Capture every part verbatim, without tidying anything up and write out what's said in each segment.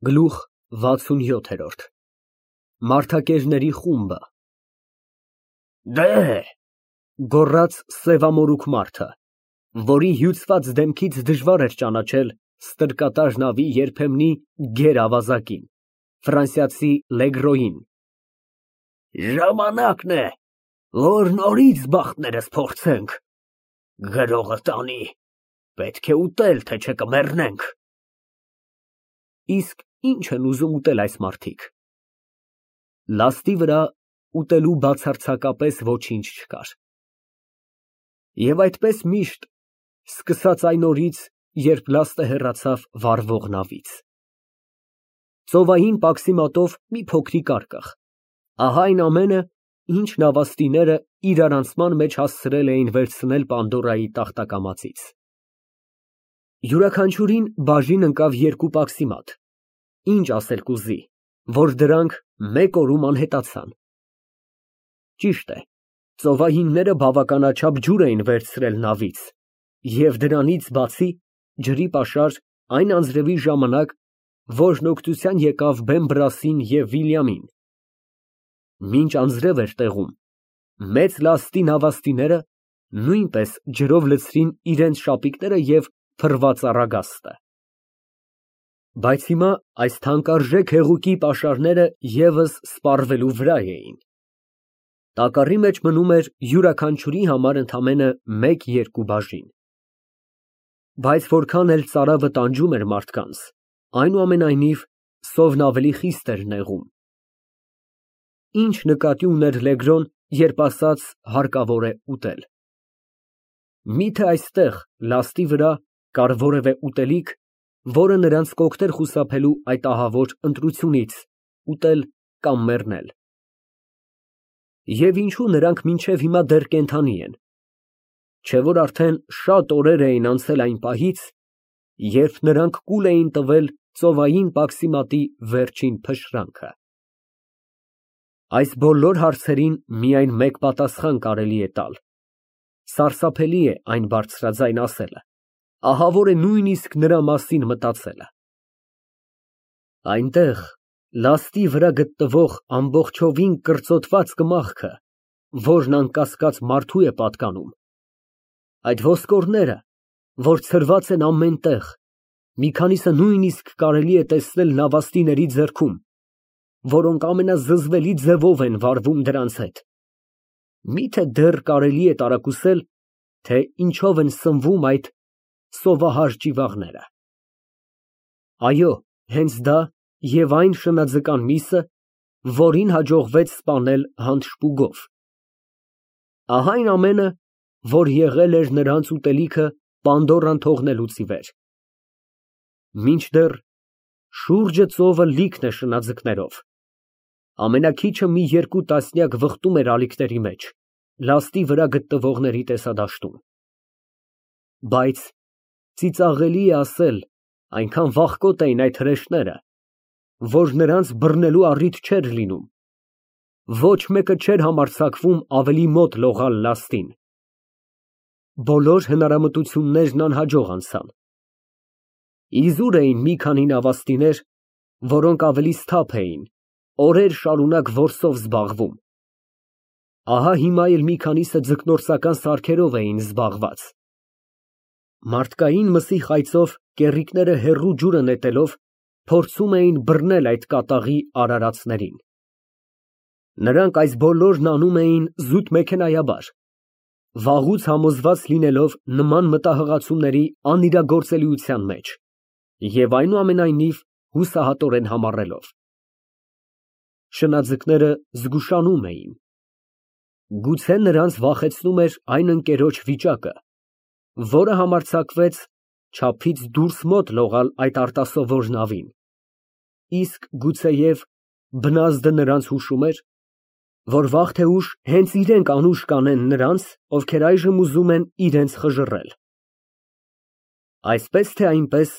Գլուխ վաթսունյոթ Մարդակերների խումբը Դե՜հ, գոռաց սևամորուք մարդը, որի հյուծված դեմքից դժվար էր ճանաչել ստրկատար նավի երբեմնի գեր֊ավազակին, ֆրանսիացի Լեգրոյին, ժամանակն է, որ նորից բախտներս փորձենք, գրողը տանի, պետք է ուտել, թե չէ կմեռնենք։ Իսկ ի՞նչ են ուզում ուտել այս մարդիկ։ Լաստի վրա ուտելու բացարձակապես ոչինչ չկար։ Եվ այդպես միշտ, սկսած այն օրից, երբ լաստը հեռացավ վառվող նավից։ Ծովային պաքսիմատով մի փոքրիկ արկղ, ահա այն ամենը, ինչ նավաստիները իրարանցման մեջ հասցրել էին վերցնել Պանդորայի տախտակամածից։ Յուրաքանչյուրին բաժին ընկավ երկու պաքսիմատ, ինչ ասել կուզի, որ դրանք մեկ օրում անհետացան։ Ճիշտ է, ծովայինները բավականաչափ ջուր էին վերցրել նավից և դրանից բացի ջրի պաշար այն անձրևի ժամանակ, որն օգնության եկավ Բեմբրասին և Վիլյամին։ Մինչ անձրև էր տեղում, մեծ լաստի նավաստիները նույնպես ջրով լցրին իրենց շապիկները և փռված առագաստը։ Բայց հիմա այս թանկարժեք հեղուկի պաշարները ևս սպառվելու վրա էին։ Տակառի մեջ մնում էր յուրաքանչյուրի համար ընդամենը մեկ֊երկու բաժին։ Բայց որքան էլ ծարավը տանջում էր մարդկանց, այնուամենայնիվ սովն ավելի խիստ էր նեղում։ Ինչ նկատի ուներ Լեգրոն, երբ ասաց հարկավոր է ուտել։ Միթե այստեղ, լաստի վրա, կար որևէ ուտելիք, որը նրանց կօգներ խուսափելու այդ ահավոր ընտրությունից՝ ուտել կամ մեռնել։ Եվ ինչո՞ւ նրանք մինչև հիմա դեռ կենդանի են։ Չէ՞ որ արդեն շատ օրեր էին անցել այն պահից, երբ նրանք կուլ էին տվել ծովային պաքսիմատի վերջին փշրանքը։ Այս բոլոր հարցերին միայն մեկ պատասխան կարելի է տալ։ Սարսափելի է այն բարձրաձայն ասելը, ահավոր է նույնիսկ նրա մասին մտածելը։ Այնտեղ, լաստի վրա գտնվող ամբողջովին կրծոտված կմախքը, որն անկասկած մարդու է պատկանում, այդ ոսկորները, որ ցրված են ամեն տեղ, մի քանիսը նույնիսկ կարելի է տեսնել նավաստիների ձեռքում, որոնք ամենազզվելի ձևով են վարվում դրանց հետ, միթե դեռ կարելի է տարակուսել, թե ինչով են սնվում այդ սովահար ճիվաղները։ Այո, հենց դա և այն շնաձկան միսը, որին հաջողվեց սպանել հանցշպուգով։ Ահա այն ամենը, որ եղել էր նրանց ուտելիքը Պանդորան թողնելուց ի վեր։ Մինչդեռ շուրջը ծովը լիքն է շնաձկներով, ամենաքիչը մի երկու տասնյակ վխտում էր ալիքների մեջ, լաստի վրա գտնվողների տեսադաշտում։ Բայց ծիծաղելի է ասել, այնքան վախկոտ էին այդ հրեշները, որ նրանց բռնելու առիթ չէր լինում, ոչ մեկը չէր համարձակվում ավելի մոտ լողալ լաստին։ Բոլոր հնարամտություններն անհաջող անցան։ Իզուր էին մի քանի նավաստիներ, որոնք ավելի սթափ էին, օրեր շարունակ որսով զբաղվում։ Ահա հիմա էլ մի քանիսը ձկնորսական սարքերով էին զբաղված։ Մարդկային մսի խայծով կեռիկները հեռու ջուրը նետելով, փորձում էին բռնել այդ կատաղի արարածներին։ Նրանք այս բոլորն անում էին զուտմեքենայաբար, վաղուց համոզված լինելով նման մտահղացումների անիրագործելիության մեջ և այնուամենայնիվ հուսահատորեն համառելով։ Շնաձկները զգուշանում էին։ Գուցե նրանց վախեցնում էր այն ընկերոջ վիճակը, որը համարձակվեց չափից դուրս մոտ լողալ այդ արտասովոր նավին, իսկ գուցեև բնազդը նրանց հուշում էր, որ վաղ թե ուշ հենց իրենք անուշ կանեն նրանց, ովքեր այժմ ուզում են իրենց խժռել։ Այսպես թե այնպես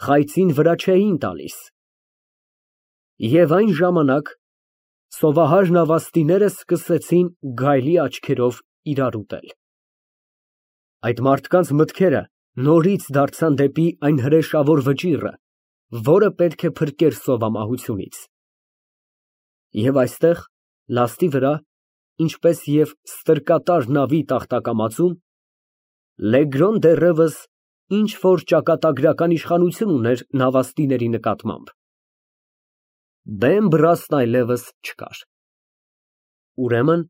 խայծին վրա չէին տալիս։ Եվ այն ժամանակ սովահար նավաստիները սկսեցին գայլի աչքերով իրար ուտել։ Այդ մարդկանց մտքերը նորից դարձան դեպի այն հրեշավոր վճիռը, որը պետք է փրկեր սովամահությունից։ Եվ այստեղ, լաստի վրա, ինչպես և ստրկատար նավի տախտակամածում, Լեգրոն դեռևս ինչ֊որ ճակատագրական իշխանություն ուներ նավաստիների նկատմամբ։ Բեմ բռաստն այլևս չկար։ Ուրեմն,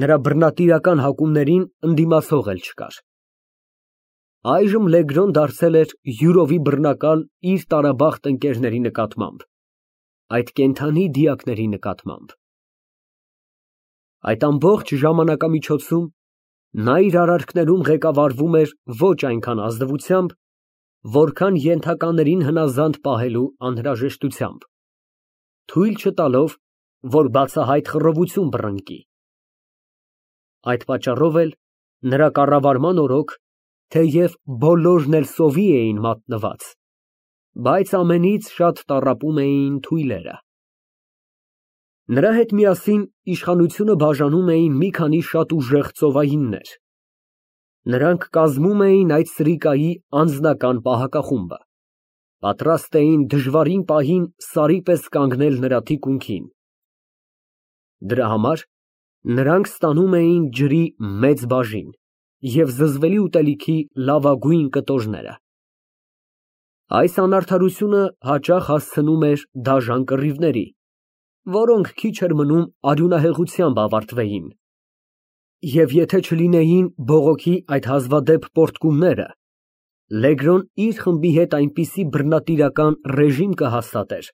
նրա բռնատիրական հակումներին ընդդիմացող էլ չկար։ Այժմ Լեգրոն դարձել էր յուրովի բռնակալ իր տարաբախտ ընկերների նկատմամբ, այդ կենդանի դիակների նկատմամբ։ Այդ ամբողջ ժամանակամիջոցում նա իր արարքներում ղեկավարվում էր ոչ այնքան ազնվությամբ, որքան ենթականերին հնազանդ պահելու անհրաժեշտությամբ, թույլ չտալով, որ բացահայտ խռովություն բռնկի։ Այդ պատճառով էլ նրա կառավարման օրոք, թեև բոլորն էլ սովի էին մատնված, բայց ամենից շատ տառապում էին թույլերը։ Նրա հետ միասին իշխանությունը բաժանում էին մի քանի շատ ուժեղ ծովայիններ։ Նրանք կազմում էին այդ սրիկայի անձնական պահակախումբը, պատրաստ էին դժվարին պահին սարի պես կանգնել նրա թիկունքին։ Դրա համար նրանք ստանում էին ջրի մեծ բաժին և զզվելի ուտելիքի լավագույն կտորները։ Այս անարդարությունը հաճախ հասցնում էր դաժան կռիվների, որոնք քիչ էր մնում արյունահեղությամբ ավարտվեին, և եթե չլինեին բողոքի այդ հազվադեպ պոռթկումները, Լեգրոն իր խմբի հետ այնպիսի բռնատիրական ռեժիմ կհաստատեր,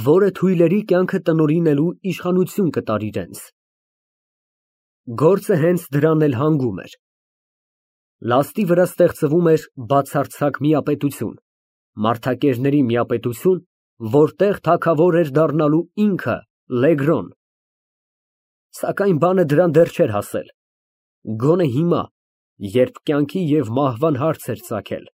որը թույլերի կյանքը տնօրինելու իշխանություն կտար իրենց։ Գործը հենց դրան էլ հանգում էր։ Լաստի վրա ստեղծվում էր բացարձակ միապետություն, մարդակերների միապետություն, որտեղ թագավոր էր դառնալու ինքը Լեգրոն։ Սակայն բանը դրան դեռ չէր հասել, գոնե հիմա, երբ կյանքի և մահվան հարց էր ծագել։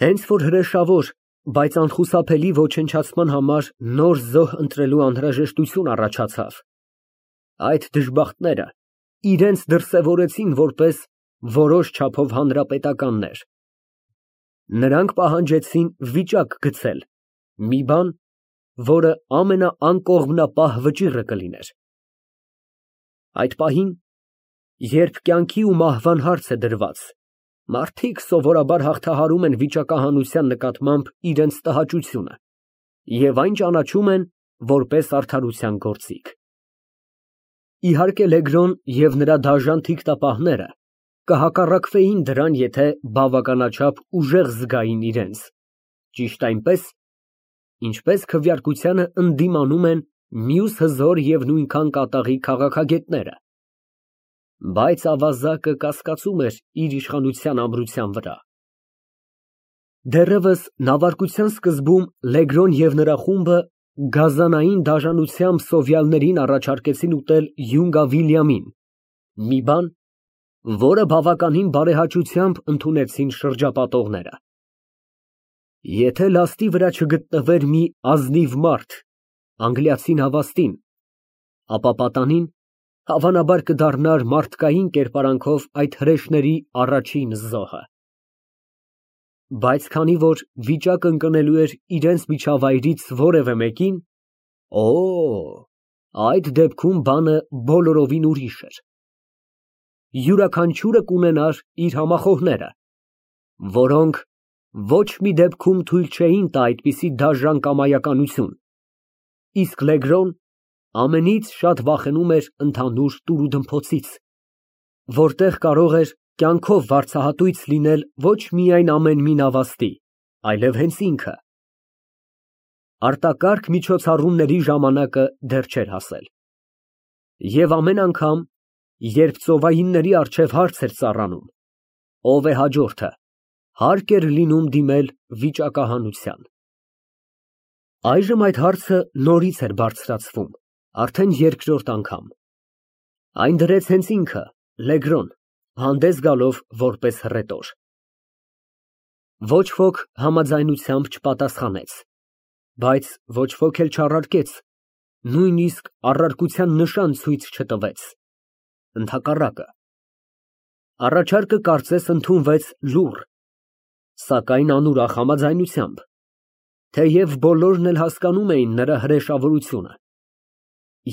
Հենց որ հրեշավոր, բայց անխուսափելի ոչնչացման համար նոր զոհ ընտրելու անհրաժեշտություն առաջացավ, այդ դժբախտները իրենց դրսևորեցին որպես որոշ չափով հանրապետականներ։ Նրանք պահանջեցին վիճակ գցել, մի բան, որը ամենաանկողմնապահ վճիռը կլիներ։ Այդ պահին, երբ կյանքի ու մահվան հարց է դրված, մարդիկ սովորաբար հաղթահարում են վիճակահանության նկատմամբ իրենց տհաճությունը և այն ճանաչում են որպես արդարության գործիք։ Իհարկե Լեգրոն և նրա դաժան թիկտապահները կհակառակվեին դրան, եթե բավականաչափ ուժեղ զգային իրենց, ճիշտ այնպես, ինչպես քվեարկությանը ընդդիմանում են մյուս հզոր և նույնքան կատաղի քաղաքագետները, բայց ավազակը կասկածում էր իր իշխանության ամրության վրա։ Դեռևս նավարկության սկզբում Լեգրոն և նրա խումբը գազանային դաժանությամբ սովյալներին առաջարկեցին ուտել Յունգա Վիլյամին, մի բան, որը բավականին բարեհաճությամբ ընդունեցին շրջապատողները։ Եթե լաստի վրա չգտնվեր մի ազնիվ մարդ, անգլիացի նավաստին, ապա պատանին, հավանաբար, կդառնար մարդկային կերպարանքով այդ հրեշների առաջին զոհը։ Բայց քանի որ վիճակը ընկնելու էր իրենց միջավայրից որևէ մեկին, օ, այդ դեպքում բանը բոլորովին ուրիշ էր։ Յուրաքանչյուրը կունենար իր համախոհները, որոնք ոչ մի դեպքում թույլ չէին տա այդպիսի դաժան կամայականություն, իսկ Լեգրոն ամենից շատ վախենում էր ընդհանուր տուրուդմփոցից, որտեղ կարող էր կյանքով վարձահատույց լինել ոչ միայն ամեն մի նավաստի, այլև հենց ինքը։ Արտակարգ միջոցառումների ժամանակը դեռ չէր հասել։ Եվ ամեն անգամ, երբ ծովայինների առջև հարց էր ծառանում, ով է հաջորդը, հարկ էր լինում դիմել վիճակահանության։ Այժմ այդ հարցը նորից էր բարձրացվում, արդեն երկրորդ անգամ։ Այն դրեց հենց ինքը, Լեգրոն, հանդես գալով որպես հռետոր։ Ոչ ոք համաձայնությամբ չպատասխանեց, բայց ոչ ոք էլ չառարկեց, նույնիսկ առարկության նշան ցույց չտվեց, ընդհակառակը։ Առաջարկը կարծես ընդունվեց լուռ, սակայն անուրախ համաձայնությամբ։ Թեև բոլորն էլ հասկանում էին նրա հրեշավորությունը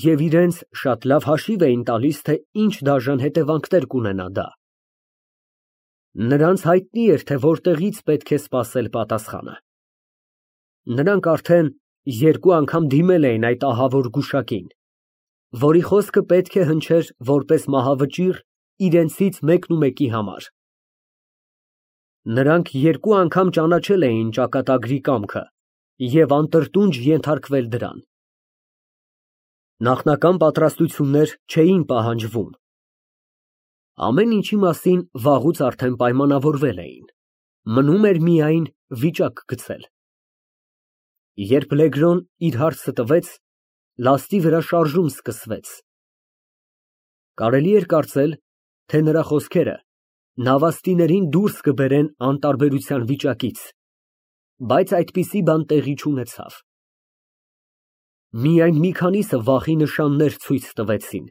և իրենց շատ լավ հաշիվ էին տալիս, թե ինչ դաժան հետևանքներ կունենա դա։ Նրանց հայտնի էր, թե որտեղից պետք է սպասել պատասխանը։ Նրանք արդեն երկու անգամ դիմել էին այդ ահավոր գուշակին, որի խոսքը պետք է հնչեր որպես մահավճիռ իրենցից մեկնումեկի համար։ Նրանք երկու անգամ ճանաչել էին ճակատագրի կամքը և անտրտունջ ենթարկվել դրան։ Նախնական պատրաստություններ չէին պահանջվում։ Ամեն ինչի մասին վաղուց արդեն պայմանավորվել էին, մնում էր միայն վիճակ գծել։ Երբ Լեգրոն իր հարցը տվեց, լաստի վրա շարժում սկսվեց։ Կարելի էր կարծել, թե նրա խոսքերը նավաստիներին դուրս կբերեն անտարբերության վիճակից, բայց այդպիսի բան տեղի չունեցավ։ Միայն մի քանիսը վախի նշաններ ցույց տվեցին,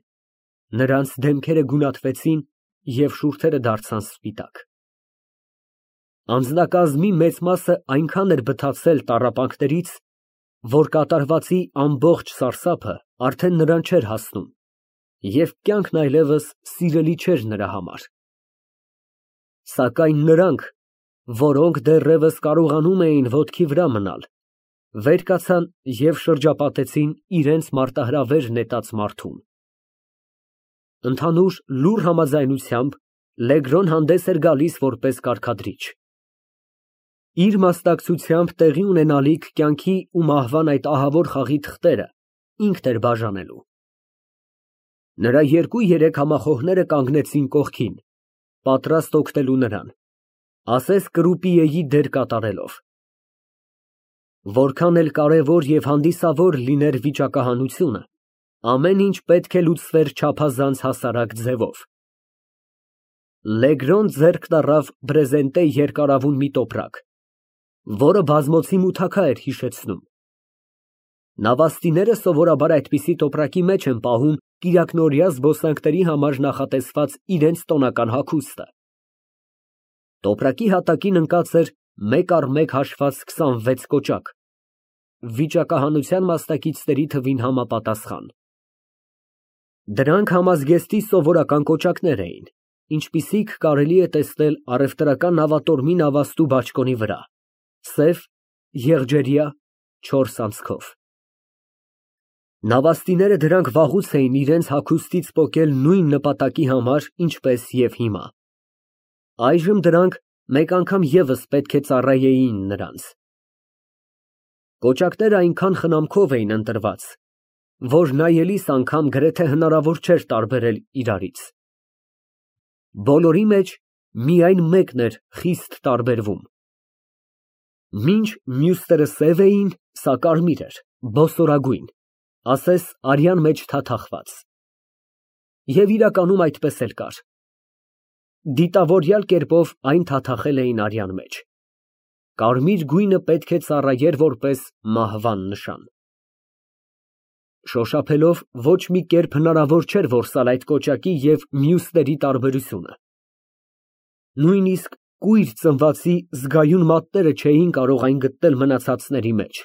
նրանց դեմքերը գունատվեցին և շուրթերը դարձան սպիտակ։ Անձնակազմի մեծ մասը այնքան էր բթացել տառապանքներից, որ կատարվածի ամբողջ սարսափը արդեն նրան չէր հասնում, և կյանքն այլևս սիրելի չէր նրա համար։ Սակայն նրանք, որոնք դեռևս կարողանում էին ոտքի վրա մնալ, վեր կացան և շրջապատեցին իրենց մարտահրավեր նետած մարդուն։ Ընդհանուր լուռ համաձայնությամբ Լեգրոն հանդես էր գալիս որպես կարգադրիչ։ Իր մասնակցությամբ տեղի ունենալիք կյանքի ու մահվան այդ ահավոր խաղի թղթերը ինքն էր բաժանելու։ Նրա երկու֊երեք համախոհները կանգնեցին կողքին, պատրաստ օգնելու նրան, ասես կրուպիեի դեր կատարելով։ Որքան էլ կարևոր և հանդիսավոր լիներ վիճակահանությունը, ամեն ինչ պետք է լուծվեր չափազանց հասարակ ձևով։ Լեգրոն ձեռք տառավ բրեզենտե երկարավուն մի տոպրակ, որը բազմոցի մութակա էր հիշեցնում։ Նավաստիները սովորաբար այդպիսի տոպրակի մեջ են պահում կիրակնօրյա զբոսանքների համար նախատեսված իրենց տոնական հագուստը։ Տոպրակի հատակին ընկած էր մեկ առ մեկ հաշված քսանվեց կոճակ, վիճակահանության մասնակիցների թվին համապատասխան։ Դրանք համազգեստի սովորական կոճակներ էին, ինչպիսիք կարելի է տեսնել առևտրական նավատորմի նավաստու բաճկոնի վրա, սև, եղջերյա, չորս անցքով։ Նավաստիները դրանք վաղուց էին իրենց հագուստից պոկել նույն նպատակի համար, ինչպես և հիմա։ Այժմ դրանք մեկ անգամ ևս պետք է ծառայեին նրանց։ Կոճակները այնքան խնամքով էին ընտրված, որ նայելիս անգամ գրեթե հնարավոր չէր տարբերել իրարից։ Բոլորի մեջ միայն մեկն էր խիստ տարբերվում։ Մինչ մյուսները սև էին, սա կարմիր էր, բոսորագույն, ասես արյան մեջ թաթախված։ Եվ իրականում այդպես էլ կար։ Դիտավորյալ կերպով այն թաթախել էին արյան մեջ։ Կարմիր գույնը պետք է ծառայեր որպես մահվան նշան։ Շոշափելով ոչ մի կերպ հնարավոր չէր որսալ այդ կոճակի և մյուսների տարբերությունը։ Նույնիսկ կույր ծնվածի զգայուն մատները չէին կարող այն գտնել մնացածների մեջ,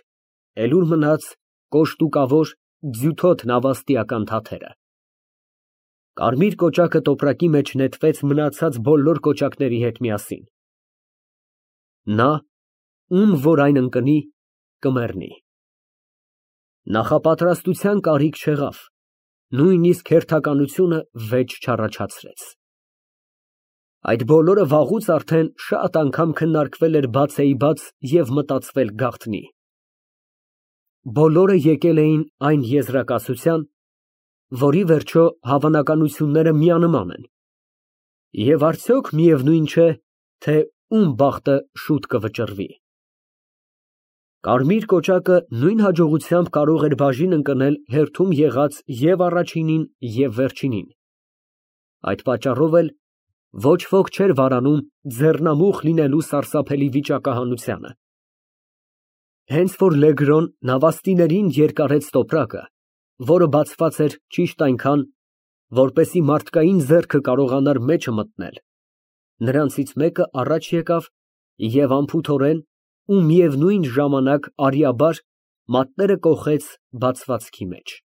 էլ ուր մնաց կոշտուկավոր, ձյութոտ նավաստիական թաթերը։ Կարմիր կոճակը տոպրակի մեջ նետվեց մնացած բոլոր կոճակների հետ միասին։ Նա, ում որ այն ընկնի, կմեռնի։ Նախապատրաստության կարիք չեղավ, նույնիսկ հերթականությունը վեճ չառաջացրեց։ Այդ բոլորը վաղուց արդեն շատ անգամ քննարկվել էր բացեիբաց և մտածվել գաղտնի։ Բոլորը եկել էին այն եզրակացության, որի վերջո հավանականությունները միանման են, և արդյոք միևնույն չէ, թե ում բախտը շուտ կվճռվի։ Կարմիր կոճակը նույն հաջողությամբ կարող էր բաժին ընկնել հերթում եղած և առաջինին, և վերջինին։ Այդ պատճառով էլ ոչ ոք չէր վարանում ձեռնամուխ լինելու սարսափելի վիճակահանությանը։ Հենց որ Լեգրոն նավաստիներին երկարեց տոպրակը, որը բացված էր ճիշտ այնքան, որպեսզի մարդկային ձեռքը կարողանար մեջը մտնել, նրանցից մեկը առաջ եկավ և անփութորեն, ու միևնույն ժամանակ արիաբար մատները կոխեց բացվածքի մեջ։